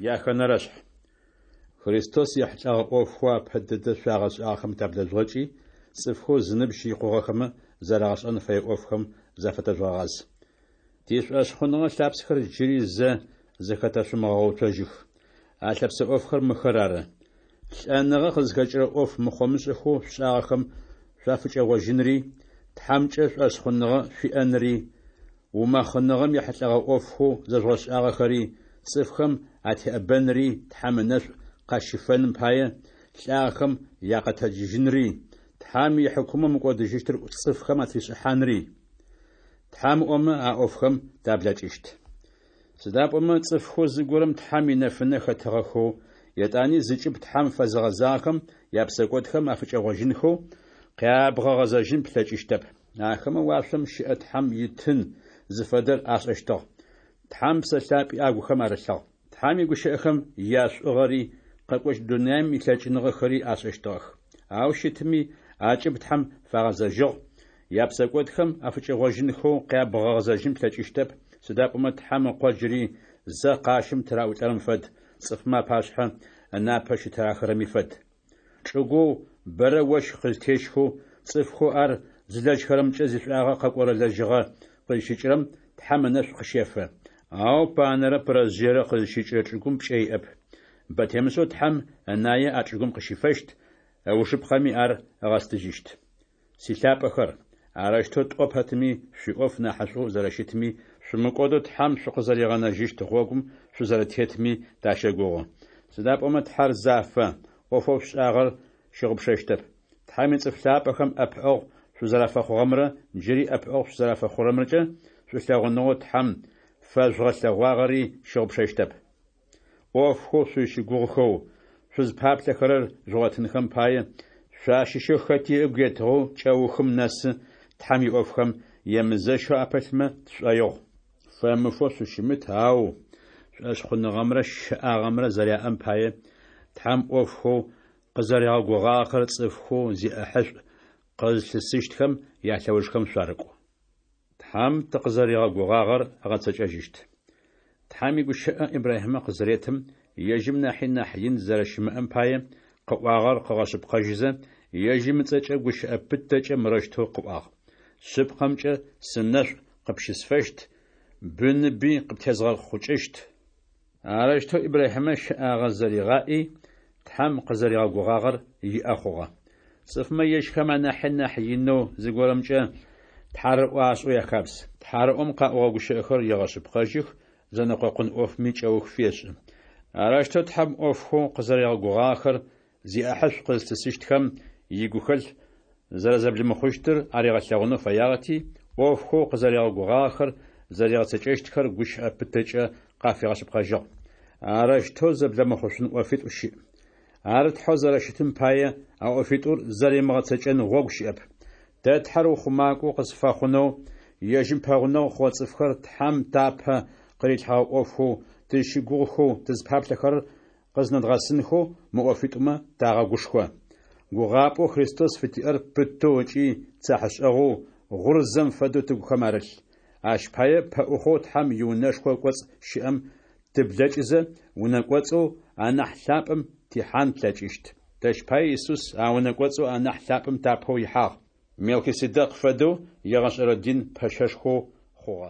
Яхэнэрэшъхь. Христос ехьылӏэгъэ ӏофхэу апэ дэдэ шъуагъэшӏагъэхэм таблэжъугъэкӏи, цӏыфхэу зыныбжь икъугъэхэмэ зэрагъэшӏэн фэе ӏофхэм зафэтэжъугъэгъаз. Тишӏошъхъуныгъэ лъапсэхэр джыри зэ зэхэтэшъумыгъэуцожьых. А лъэпсэ ӏофхэр мыхэр ары: Лӏэныгъэ къызхэкӏырэ ӏоф мыхъомышӏэхэу шъушӏагъэхэм шъуафыкӏэгъожьынри, Тхьэмкӏэ шӏошъхъуныгъэ шъуиӏэнри, умэхъыныгъэм ехьылӏэгъэ ӏофхэу зэжъугъэшӏагъэхэри, цӏыфхэм атеӏэбэнри Тхьэм ынэшӏу къащифэным пае, лӏагъэхэм якъэтэджыжьынри, Тхьэм ихьыкумэу мыкӏодыжьыщтыр цӏыфхэм атришӏыхьанри. Тхьэм ыӏомэ, а ӏофхэм таблэкӏыщт. Сыда пӏомэ цӏыфхэу зыгорэм Тхьэм инэфынэ хэтыгъэхэу, етӏани зыкӏыб Тхьэм фэзыгъэзагъэхэм япсэкӏодхэм афыкӏэгъожьынхэу къябгъэгъэзэжьын плъэкӏыщтэп. Ахэмэ уашъом щыӏэ Тхьэм итын зыфэдэр ашӏэщтыгъ. Тхьэм Псэ Лъапӏи агухэм арылъыгъ. Тхьэм игущыӏэхэм яшӏугъэри, къэкӏощт дунаим илъэкӏыныгъэхэри ашӏэщтыгъэх. Ау щытми, акӏыб Тхьэм фагъэзэжьыгъ, япсэкӏодхэм афыкӏэгъожьынхэу къябгъэгъэзэжьын плъэкӏыщтэп, сыда пӏомэ Тхьэм Ыкъо джыри зэ къащым тыраӏулӏэрэм фэд, цӏыфмэ апашъхьэ ынапэ щытырахырэми фэд. Чӏыгоу бэрэ ощх къызтещхэу, цӏыфхэу ар зылэжьхэрэмкӏэ зишӏуагъэ къэкӏорэ лэжьыгъэ къызщыкӏырэм Тхьэм ынэшӏу къыщефэ. Ау панэрэ пырэжъыерэ къызщыкӏырэ чӏыгум пкӏэ иӏэп. Бэ темышӏэу Тхьэм ынае а чӏыгум къыщифэщт, ыужыпкъэми ар ыгъэстыжьыщт. Силъапӏэхэр, арэущтэу тӏо пэтми, шъуиӏоф нахьышӏоу зэрэщытми, шъумыкӏодэу Тхьэм шъукъызэригъэнэжьыщт гъогум шъузэрэтетми тащэгугъы. Сыда пӏомэ Тхьэр зафэ, ӏофэу шъушӏагъэр щыгъупшэщтэп. Тхьэм ицӏыф лъапӏэхэм ӏэпыӏэгъу шъузэрафэхъугъэмрэ джыри ӏэпыӏэгъу шъузэрафэхъурэмрэкӏэ шӏулъэгъуныгъэу Тхьэм фэжъугъэлъэгъуагъэри щыгъупшэщтэп. ӏофхэу шъузщыгугъыхэу, шъузпаплъэхэрэр жъугъотынхэм пае, шъуащыщэу хэти ыгу етыгъэу кӏэухым нэсы Тхьэм иӏофхэм емызэщэу апылъмэ тшӏоигъу. Фэмыфэу шъущымыт, ау шӏошъхъуныгъэмрэ щэӏагъэмрэ зэряӏэм пае, Тхьэм ӏофхэу къызэригъэгугъагъэхэр цӏыфхэу зиӏэхьышӏу къызлъысыщтхэм ялъэужхэм шъуарыкӏу. Тхьэм тыкъызэригъэгугъагъэр ыгъэцэкӏэжьыщт. Тхьэм игущыӏэ Ибрахьимэ къызыретым, ежьым нахьи нахь ин зэрэщымыӏэм пае, къыӏуагъэр къыгъэшъыпкъэжьызэ, ежьым ыцӏэкӏэ гущыӏэ пытэкӏэ мырэущтэу къыӏуагъ: Шъыпкъэмкӏэ сынэшӏу къыпщысфэщт, быныби къыптезгъэхъукӏыщт. Арэущтэу Ибрахьимэ щэӏагъэ зэригъаӏи, Тхьэм къызэригъэгугъагъэр иӏэ хъугъэ. Цӏыфмэ ежьхэм анахьи нахь инэу зыгорэмкӏэ тхьарыӏо ашӏэу яхабз. Тхьарыӏом къаӏогъэ гущыӏэхэр егъэшъыпкъэжьых, зэнэкъокъун ӏофми кӏэух фешӏы. Арэущтэу Тхьэм ӏофхэу къызэригъэгугъагъэхэр зиӏахьышӏу къызлъысыщтхэм игухэлъ зэрэзэблимыхъущтыр аригъэлъэгъунэу фэягъэти, ӏофхэу къызэригъэгугъагъэхэр зэригъэцэкӏэщтхэр гущыӏэ пытэкӏэ къафигъэшъыпкъэжьыгъ. Арэущтэу зэблэмыхъушъун ӏофитӏу щыӏ. Ар Тхьэу зэрэщытым пае, а ӏофитӏур зэримыгъэцэкӏэн гъогу щыӏэп. Тэ Тхьэр ухъумакӏоу къызфэхъунэу, ежьым пэгъунэгъу хъугъэ цӏыфхэр Тхьэм тапэ къырилъхьэгъэ ӏофхэу тызщыгугъыхэу тызпаплъэхэрэр къызнэдгъэсынхэу мы ӏофитӏумэ тагъэгушхо. Гугъапӏэу Христос фытиӏэр пытэу ыкӏи цахьышӏэгъоу, гъурзэм фэдэу тыгухэм арылъ. Ащ пае пэӏухъоу Тхьэм иунэшхо ыкӏоцӏ щыӏэм тыблэкӏызэ, унэ кӏоцӏэу анахь лъапӏэм тихьан тлъэкӏыщт. Тэщ пае Исус а унэ кӏоцӏэу анахь лъапӏэм тапэу ихьагъ, Мелхиседекъ фэдэу егъэшӏэрэ дин пэщэшхоу хъугъэ.